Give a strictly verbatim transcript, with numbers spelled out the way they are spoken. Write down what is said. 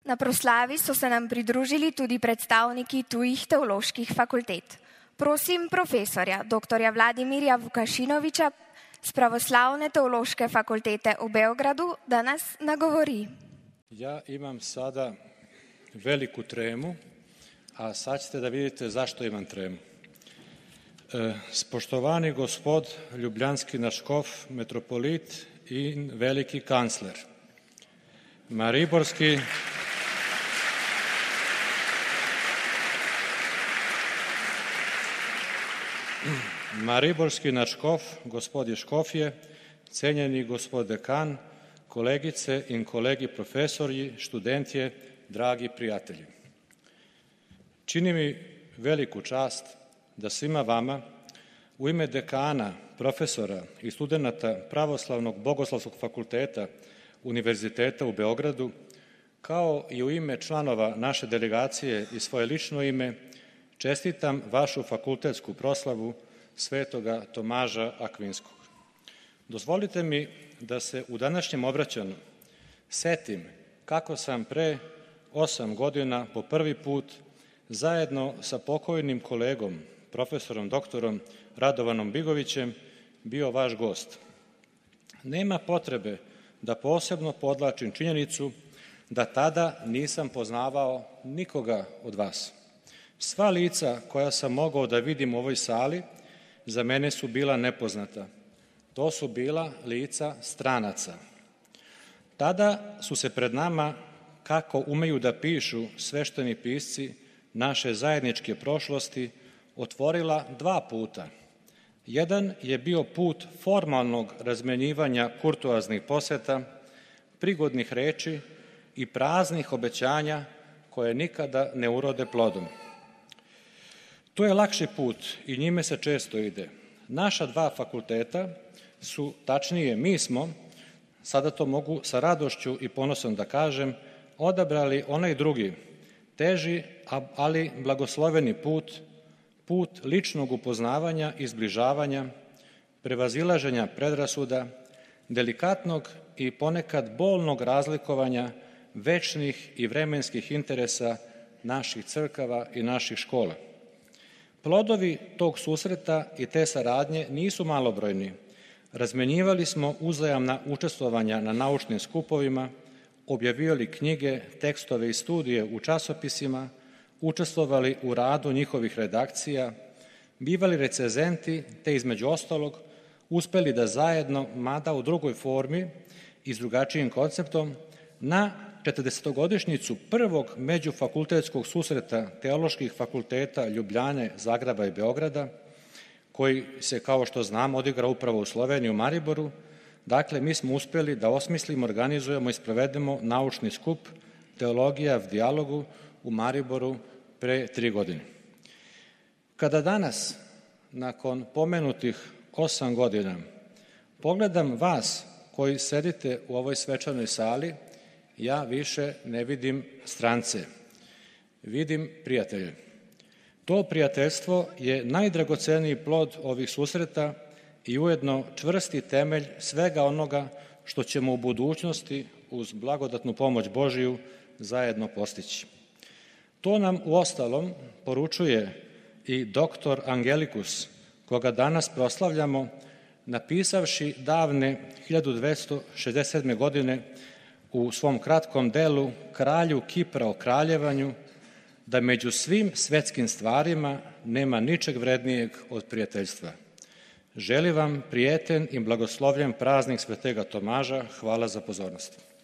Na proslavi so se nam pridružili tudi predstavniki tujih teoloških fakultet. Prosim profesorja doktorja Vladimirja Vukašinoviča z Pravoslavne teološke fakultete u Beogradu da nas nagovori. Ja imam sada veliku tremu, a sad ćete da vidite zašto imam tremu. E, spoštovani gospod ljubljanski naš škof, metropolit in veliki kancler, mariborski Mariborski naš škof, gospodje škofje, cenjeni gospod dekan, kolegice in kolegi profesorji, študentje, dragi prijatelji. Čini mi veliku čast da svima vama u ime dekana, profesora i studenata Pravoslavnog Bogoslovskog fakulteta Univerziteta u Beogradu, kao i u ime članova naše delegacije i svoje lično ime, čestitam vašu fakultetsku proslavu Svetoga Tomaža Akvinskog. Dozvolite mi da se u današnjem obraćanju setim kako sam pre osam godina po prvi put zajedno sa pokojnim kolegom, profesorom doktorom Radovanom Bigovićem, bio vaš gost. Nema potrebe da posebno podlačim činjenicu da tada nisam poznavao nikoga od vas. Sva lica koja sam mogao da vidim u ovoj sali za mene su bila nepoznata. To su bila lica stranaca. Tada su se pred nama, kako umeju da pišu svešteni pisci naše zajedničke prošlosti, otvorila dva puta. Jedan je bio put formalnog razmenjivanja kurtoaznih poseta, prigodnih reči i praznih obećanja koje nikada ne urode plodom. To je lakši put i njime se često ide. Naša dva fakulteta su, tačnije mi smo, sada to mogu sa radošću i ponosom da kažem, odabrali onaj drugi, teži, ali blagosloveni put, put ličnog upoznavanja i zbližavanja, prevazilaženja predrasuda, delikatnog i ponekad bolnog razlikovanja večnih i vremenskih interesa naših crkava i naših škola. Plodovi tog susreta i te saradnje nisu malobrojni. Razmenjivali smo uzajamna učestvovanja na naučnim skupovima, objavljivali knjige, tekstove i studije u časopisima, učestvovali u radu njihovih redakcija, bivali recenzenti, te između ostalog uspeli da zajedno, mada u drugoj formi i s drugačijim konceptom, na četrdesetogodišnjicu prvog međufakultetskog susreta teoloških fakulteta Ljubljane, Zagreba i Beograda, koji se, kao što znam, odigra upravo u Sloveniji, u Mariboru. Dakle, mi smo uspjeli da osmislimo, organizujemo i sprovedemo naučni skup Teologija v dijalogu u Mariboru pre tri godine. Kada danas, nakon pomenutih osam godina, pogledam vas koji sedite u ovoj svečanoj sali, ja više ne vidim strance, vidim prijatelje. To prijateljstvo je najdragoceniji plod ovih susreta i ujedno čvrsti temelj svega onoga što ćemo u budućnosti uz blagodatnu pomoć Božiju zajedno postići. To nam uostalom poručuje i doktor Angelikus, koga danas proslavljamo, napisavši davne hiljadu dvesta šezdeset sedme. godine u svom kratkom delu Kralju Kipra o kraljevanju, da među svim svetskim stvarima nema ničeg vrednijeg od prijateljstva. Želim vam prijeten i blagoslovljen praznik Svetega Tomaža. Hvala za pozornost.